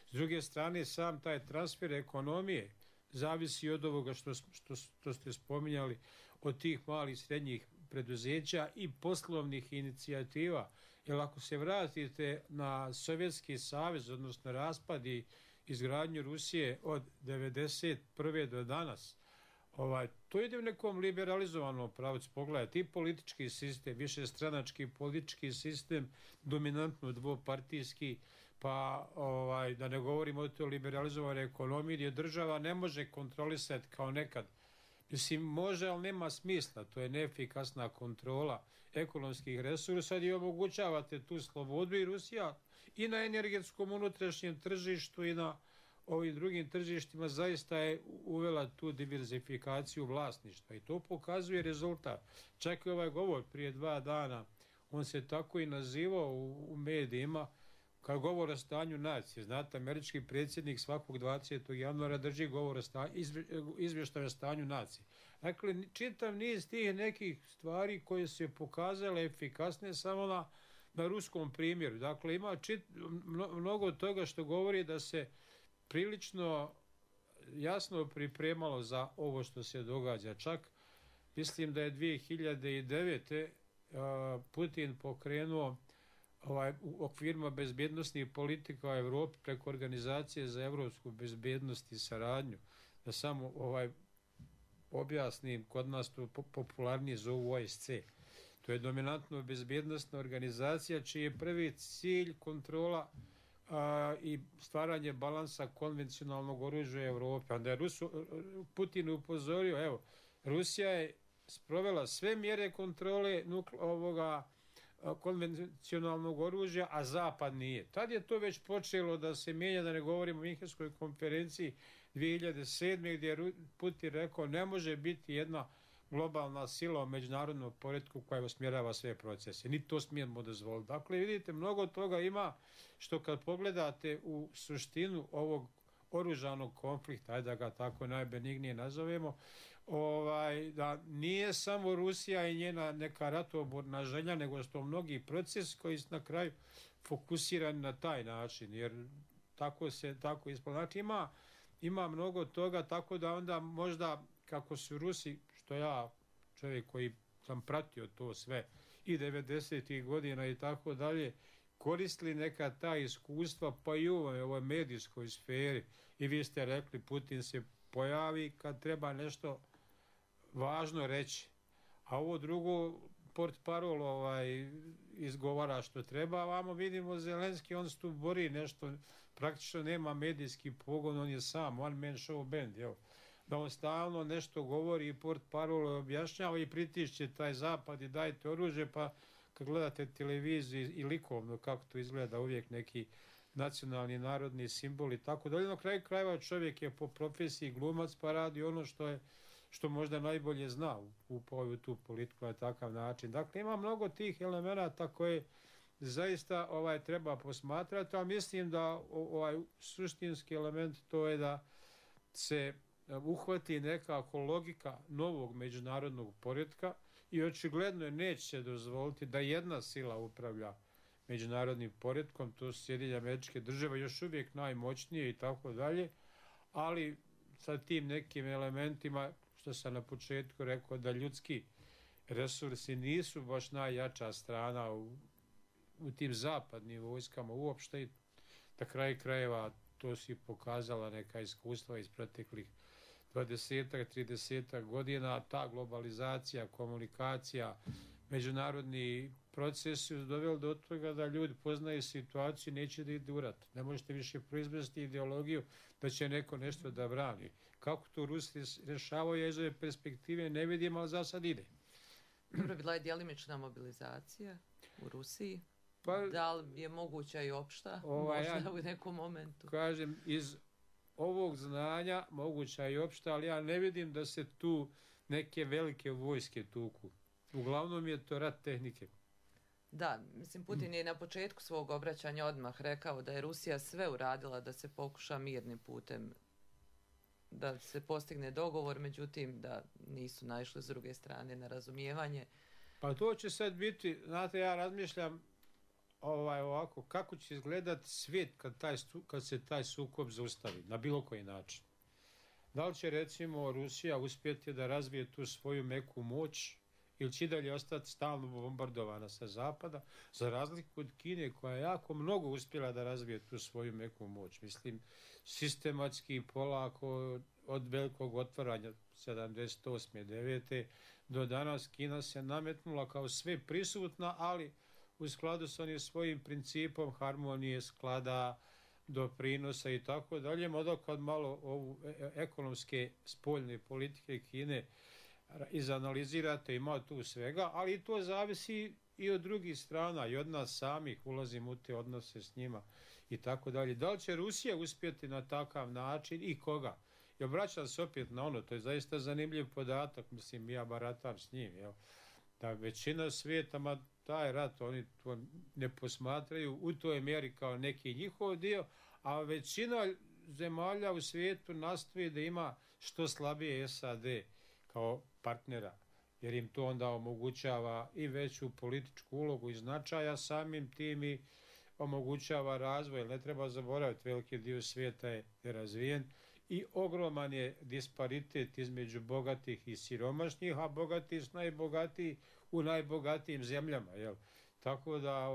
S druge strane, sam taj transfer ekonomije zavisi od ovoga što ste spominjali, od tih malih i srednjih preduzeća i poslovnih inicijativa. Jer ako se vratite na Sovjetski savez, odnosno raspad i izgradnju Rusije od 1991. do danas, to ide u nekom liberalizovanom pravcu. Pogledajte, i politički sistem, višestranački politički sistem, dominantno dvopartijski, pa da ne govorimo o toj liberalizovanoj ekonomiji gdje država ne može kontrolisati kao nekad. Mislim, može, ali nema smisla. To je neefikasna kontrola ekonomskih resursa gdje omogućavate tu slobodu i Rusija i na energetskom unutrašnjem tržištu i na ovim drugim tržištima zaista je uvela tu diverzifikaciju vlasništva i to pokazuje rezultat. Čak i ovaj govor prije 2 dana, on se tako i nazivao u medijima kao govor o stanju nacije. Znate, američki predsjednik svakog 20. januara drži govor o izvještaj o stanju nacije. Dakle, čitav niz tih nekih stvari koje su se pokazale efikasne samo na ruskom primjeru. Dakle, ima mnogo toga što govori da se prilično jasno pripremalo za ovo što se događa. Čak mislim da je 2009. Putin pokrenuo u okvirima bezbjednostnih politika u Europi preko Organizacije za evropsku bezbjednost i saradnju. Da samo objasnim, kod nas to popularnije zovu OSC. To je dominantno bezbjednostna organizacija čiji je prvi cilj kontrola i stvaranje balansa konvencionalnog oružja u Europi. Onda je Putin upozorio, evo, Rusija je sprovela sve mjere kontrole konvencionalnog oružja, a Zapad nije. Tad je to već počelo da se mijenja, da ne govorimo o Minhenskoj konferenciji 2007. gdje je Putin rekao ne može biti jedna globalna sila u međunarodnom poretku koja usmjerava sve procese. Ni to smijemo dozvoliti. Dakle, vidite, mnogo toga ima što kad pogledate u suštinu ovog oružanog konflikta, ajde da ga tako najbenignije nazovemo, da nije samo Rusija i njena neka ratoborna želja, nego što mnogi procesi koji su na kraju fokusirani na taj način, jer tako ispod. Znači ima mnogo toga, tako da onda možda kako su Rusi, što ja, čovjek koji sam pratio to sve i 90. godina i tako dalje, koristili neka ta iskustva pa i u ovoj medijskoj sferi. I vi ste rekli, Putin se pojavi kad treba nešto važno reći, a ovo drugo portparol izgovara što treba. Vamo vidimo Zelenski, on se tu bori nešto, praktično nema medijski pogon, on je sam, one man show band, da on stalno nešto govori i portparol objašnjava i pritišće taj zapad i dajte oružje, pa kad gledate televiziju i likovno kako to izgleda, uvijek neki nacionalni, narodni simbol i tako dalje. Na kraju krajeva čovjek je po profesiji glumac pa radi ono što možda najbolje zna u tu politiku na takav način. Dakle, ima mnogo tih elemenata koje zaista treba posmatrati, ali mislim da suštinski element to je da se uhvati nekako logika novog međunarodnog poretka i očigledno neće se dozvoliti da jedna sila upravlja međunarodnim poretkom, to su Sjedinjene Američke Države, još uvijek najmoćnije i tako dalje, ali sa tim nekim elementima, što sam na početku rekao, da ljudski resursi nisu baš najjača strana u tim zapadnim vojskama uopšte i na kraju krajeva to si pokazala neka iskustva iz proteklih 20-30 godina, ta globalizacija, komunikacija, međunarodni procesi su doveli do toga da ljudi poznaju situaciju i neće da idu u rat. Ne možete više proizvesti ideologiju da će neko nešto da brani. Kako to Rusi rješavaju iz ove perspektive ne vidim, ali za sad ide. Dobro, bila je djelimična mobilizacija u Rusiji. Da li je moguća i opšta? Možda u nekom momentu. Kažem, iz ovog znanja moguća i opšta, ali ja ne vidim da se tu neke velike vojske tuku. Uglavnom je to rat tehnike. Da, mislim, Putin je na početku svog obraćanja odmah rekao da je Rusija sve uradila da se pokuša mirnim putem, da se postigne dogovor, međutim da nisu naišli s druge strane na razumijevanje. Pa to će sad biti, znate, ja razmišljam ovako, kako će izgledati svijet kad se taj sukob zaustavi, na bilo koji način. Da li će, recimo, Rusija uspjeti da razvije tu svoju meku moć ili će dalje ostati stalno bombardovana sa zapada, za razliku od Kine koja je jako mnogo uspjela da razvije tu svoju meku moć. Mislim, sistematski, polako, od velikog otvaranja 78. 9. do danas Kina se nametnula kao sve prisutna, ali u skladu s onim svojim principom harmonije, sklada, doprinosa i tako dalje. Onda kad malo ovu ekonomske spoljne politike Kine izanalizirate, ima tu svega, ali to zavisi i od drugih strana i od nas samih, ulazimo u te odnose s njima i tako dalje. Da li će Rusija uspjeti na takav način i koga? I obraćam se opet na ono, to je zaista zanimljiv podatak, mislim, ja baratam s njim, jel? Da većina svijeta, ma taj rat, oni to ne posmatraju u toj mjeri kao neki njihov dio, a većina zemalja u svijetu nastoji da ima što slabije SAD kao partnera, jer im to onda omogućava i veću političku ulogu i značaja, samim tim i omogućava razvoj. Ne treba zaboraviti, veliki dio svijeta je razvijen i ogroman je disparitet između bogatih i siromašnih, a bogati su najbogatiji u najbogatijim zemljama. Jel? Tako da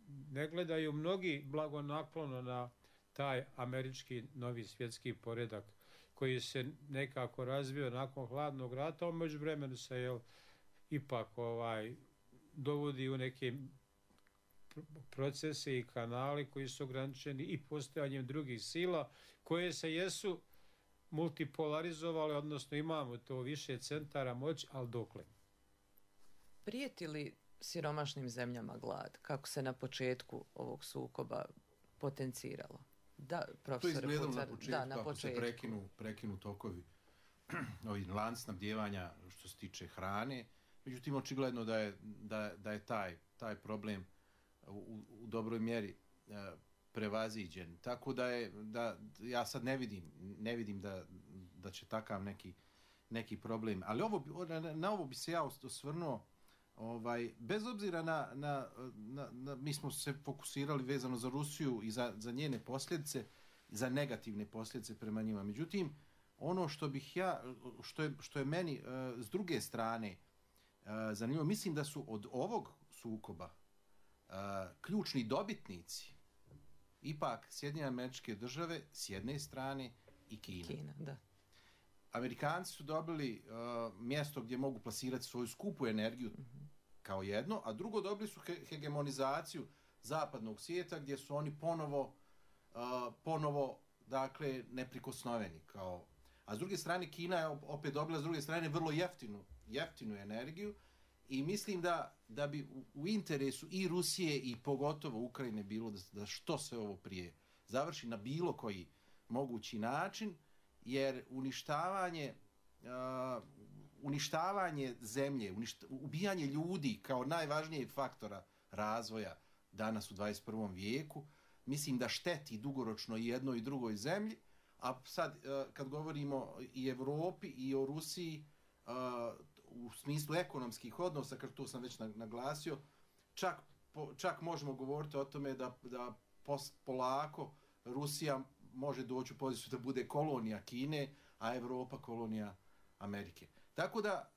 ne gledaju mnogi blagonaklono na taj američki novi svjetski poredak koji se nekako razvio nakon hladnog rata, a međuvremenu se ipak dovodi u neke procese i kanali koji su ograničeni i postojanjem drugih sila koje se jesu multipolarizovale, odnosno imamo to više centara moći, ali dokle? Prijeti li siromašnim zemljama glad, kako se na početku ovog sukoba potenciralo? Da, profesor, to je izgledalo na početku, da, na početku. Ako se prekinu tokovi ovi lanc snabdijevanja što se tiče hrane, međutim očigledno da je taj problem u dobroj mjeri prevaziđen. Tako da ja sad ne vidim da će takav neki problem. Ali na ovo bi se ja osvrnuo, bez obzira na mi smo se fokusirali vezano za Rusiju i za njene posljedice, za negativne posljedice prema njima. Međutim, ono što je meni s druge strane zanimljivo, mislim da su od ovog sukoba ključni dobitnici ipak Sjedinjene Američke Države s jedne strane i Kina. Da. Amerikanci su dobili mjesto gdje mogu plasirati svoju skupu energiju kao jedno, a drugo dobili su hegemonizaciju zapadnog svijeta gdje su oni ponovo dakle neprikosnoveni. A s druge strane Kina je opet dobila s druge strane vrlo jeftinu energiju i mislim da bi u interesu i Rusije i pogotovo Ukrajine bilo da što se ovo prije završi na bilo koji mogući način, jer uništavanje zemlje, ubijanje ljudi kao najvažnijeg faktora razvoja danas u 21. vijeku, mislim da šteti dugoročno i jednoj i drugoj zemlji, a sad kad govorimo i Europi i o Rusiji u smislu ekonomskih odnosa, kad to sam već naglasio, čak možemo govoriti o tome da polako Rusija može doći u poziciju da bude kolonija Kine, a Europa kolonija Amerike. Tako da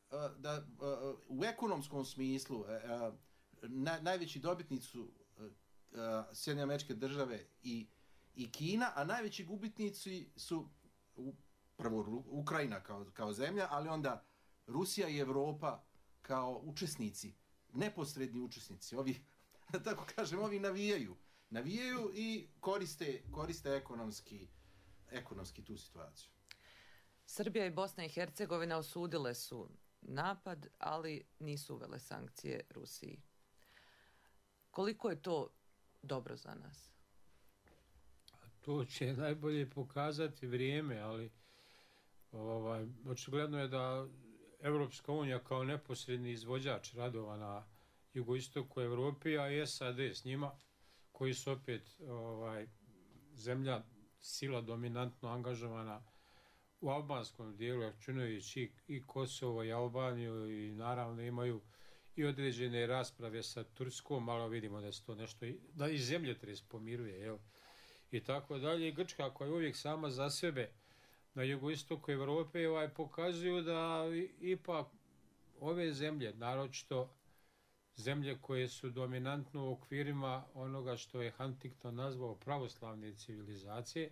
u ekonomskom smislu najveći dobitnici su Sjedinjene Američke Države i Kina, a najveći gubitnici su prvo Ukrajina kao zemlja, ali onda Rusija i Europa kao učesnici, neposredni učesnici. Ovi, da tako kažem, ovi navijaju i koriste ekonomski tu situaciju. Srbija i Bosna i Hercegovina osudile su napad, ali nisu uvele sankcije Rusiji. Koliko je to dobro za nas? To će najbolje pokazati vrijeme, ali očigledno je da Europska unija kao neposredni izvođač radova na jugoistoku Evrope, a i SAD s njima, koji su opet zemlja, sila dominantno angažovana u albanskom dijelu, računajući i Kosovo i Albaniju, i naravno imaju i određene rasprave sa Turskom, ali vidimo da se to nešto, da i zemljotres pomiruje, jel? I tako dalje. I Grčka, koja je uvijek sama za sebe na jugoistoku Evrope, pokazuju da ipak ove zemlje, naročito zemlje koje su dominantno u okvirima onoga što je Huntington nazvao pravoslavne civilizacije,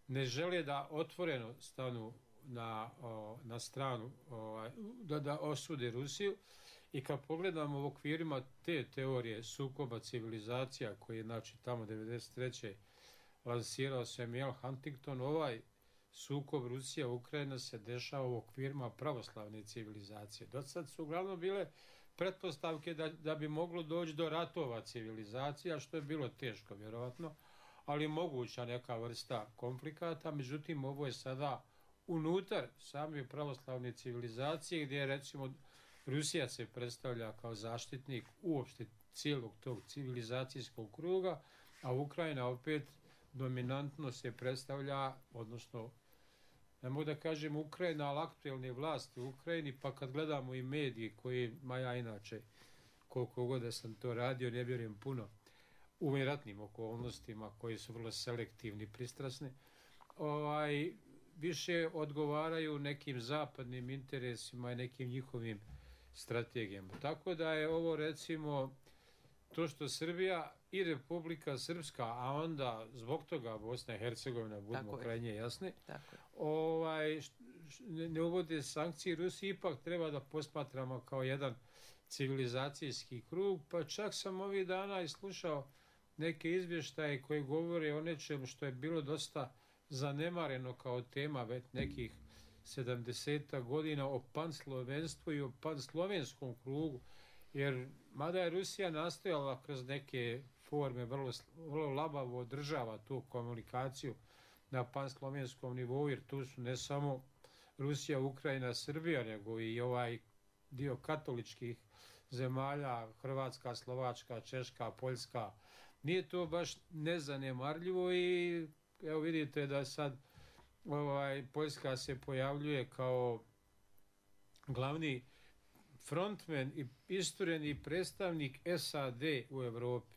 ne žele da otvoreno stanu na stranu, da osude Rusiju. I kad pogledamo u okvirima te teorije sukoba civilizacija, koji je znači tamo 1993. lansirao Samuel Huntington, ovaj sukob Rusija-Ukrajina se dešava u okvirima pravoslavne civilizacije. Do sad su uglavnom bile pretpostavke da bi moglo doći do ratova civilizacija, što je bilo teško vjerovatno, ali moguća neka vrsta konflikata. Međutim, ovo je sada unutar same pravoslavne civilizacije, gdje recimo Rusija se predstavlja kao zaštitnik uopšte cijelog tog civilizacijskog kruga, a Ukrajina opet dominantno se predstavlja, odnosno ne mogu da kažem Ukrajina, ali aktuelne vlasti u Ukrajini, pa kad gledamo i mediji kojima ja inače, koliko god da sam to radio, ne vjerujem puno, u ratnim okolnostima koji su vrlo selektivni, pristrasni, više odgovaraju nekim zapadnim interesima i nekim njihovim strategijama. Tako da je ovo recimo to što Srbija i Republika Srpska, a onda zbog toga Bosna i Hercegovina, budemo krajnje jasni, ne uvode sankcije Rusiji, ipak treba da posmatramo kao jedan civilizacijski krug, pa čak sam ovih dana i slušao neke izvještaje koji govore o nečemu što je bilo dosta zanemareno kao tema već nekih 70 godina, o panslovenstvu i o panslovenskom krugu, jer mada je Rusija nastojala kroz neke forme vrlo labavo održava tu komunikaciju na panslovenskom nivou, jer tu su ne samo Rusija, Ukrajina, Srbija, nego i ovaj dio katoličkih zemalja, Hrvatska, Slovačka, Češka, Poljska. Nije to baš nezanemarljivo i evo vidite da sad Poljska se pojavljuje kao glavni frontman i istureni predstavnik SAD u Evropi,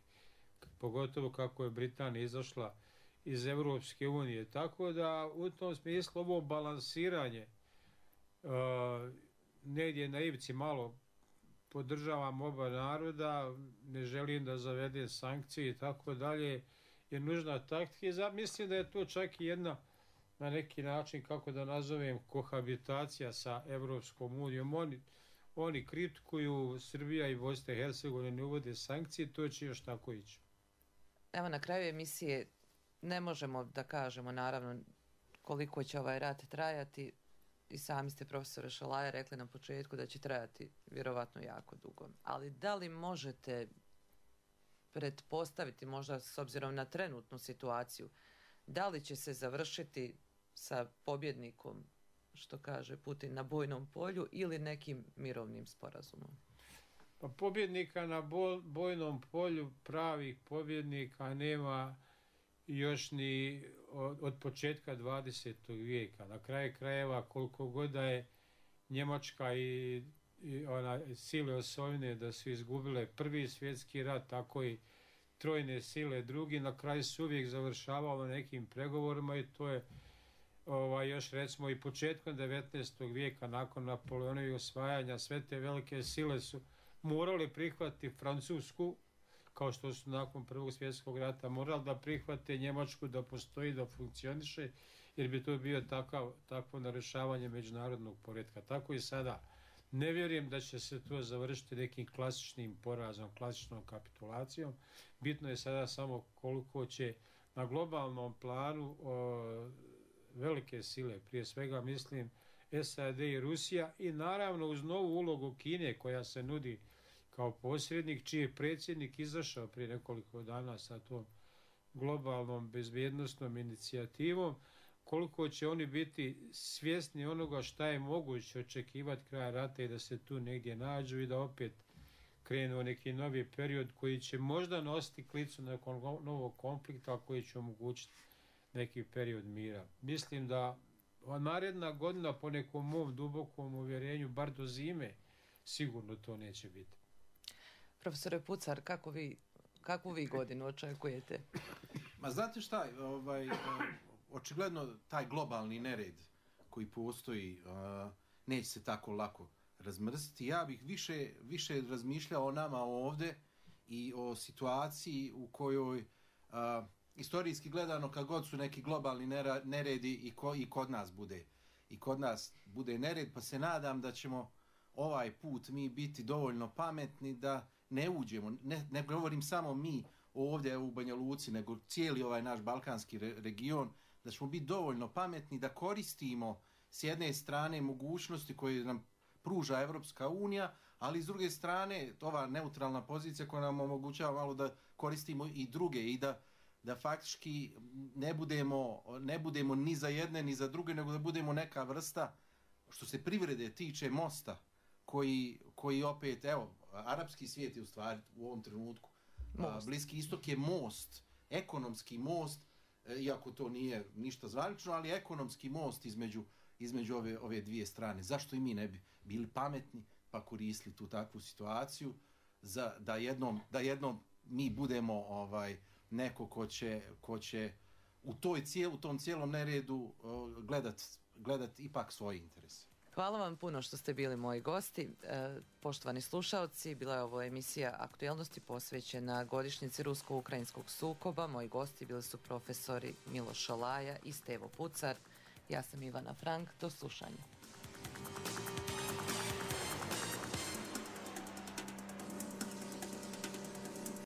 pogotovo kako je Britanija izašla iz Evropske unije. Tako da u tom smislu ovo balansiranje negdje na ivici malo podržavam oba naroda, ne želim da zavede sankcije i tako dalje, je nužna taktika. Mislim da je to čak i jedna na neki način, kako da nazovem, kohabitacija sa Evropskom unijom. Oni kritikuju, Srbija i Bosna i Hercegovina ne uvode sankcije, to će još tako ići. Evo, na kraju emisije ne možemo da kažemo naravno koliko će ovaj rat trajati. I sami ste, profesore Šalaje, rekli na početku da će trajati vjerovatno jako dugo. Ali da li možete pretpostaviti, možda s obzirom na trenutnu situaciju, da li će se završiti sa pobjednikom, što kaže Putin, na bojnom polju ili nekim mirovnim sporazumom? Pa pobjednika na bojnom polju, pravih pobjednika nema još ni od početka 20. vijeka. Na kraju krajeva, koliko god da je Njemačka i sile osovine da su izgubile prvi svjetski rat, tako i trojne sile drugi, na kraju su uvijek završavalo nekim pregovorima i to je još recimo i početkom 19. vijeka nakon Napoleonovih osvajanja sve te velike sile su morali prihvatiti Francusku, kao što su nakon Prvog svjetskog rata morali da prihvate Njemačku da postoji, da funkcioniše, jer bi to bio takvo narušavanje međunarodnog poretka. Tako i sada. Ne vjerujem da će se to završiti nekim klasičnim porazom, klasičnom kapitulacijom. Bitno je sada samo koliko će na globalnom planu velike sile, prije svega mislim SAD i Rusija, i naravno uz novu ulogu Kine koja se nudi kao posrednik, čiji je predsjednik izašao prije nekoliko dana sa tom globalnom bezbjednosnom inicijativom, koliko će oni biti svjesni onoga šta je moguće očekivati kraja rata i da se tu negdje nađu i da opet krenuo neki novi period koji će možda nositi klicu nekog novog konflikta, koji će omogućiti neki period mira. Mislim da naredna godina, po nekom mom dubokom uvjerenju, bar do zime, sigurno to neće biti. Profesore Pucar, kakvu vi godinu očekujete? Ma znate šta, očigledno taj globalni nered koji postoji neće se tako lako razmrziti. Ja bih više razmišljao o nama ovdje i o situaciji u kojoj istorijski gledano, kad god su neki globalni neredi i kod nas bude nered, pa se nadam da ćemo ovaj put mi biti dovoljno pametni da ne uđemo, ne govorim samo mi ovdje u Banja Luci, nego cijeli ovaj naš balkanski region, da ćemo biti dovoljno pametni da koristimo s jedne strane mogućnosti koje nam pruža Evropska unija, ali s druge strane ova neutralna pozicija koja nam omogućava malo da koristimo i druge i da faktički ne budemo ni za jedne ni za druge, nego da budemo neka vrsta, što se privrede tiče, mosta koji opet, evo, arapski svijet je u stvari u ovom trenutku, Bliski istok je most, ekonomski most, iako to nije ništa zvanično, ali ekonomski most između ove dvije strane. Zašto i mi ne bi bili pametni pa koristili tu takvu situaciju da jednom mi budemo neko ko će u tom cijelom neredu gledat ipak svoje interese. Hvala vam puno što ste bili moji gosti. Poštovani slušalci, bila je ovo emisija Aktualnosti posvećena godišnjici rusko-ukrajinskog sukoba. Moji gosti bili su profesori Miloš Šalaja i Stevo Pucar. Ja sam Ivana Frank. Do slušanja.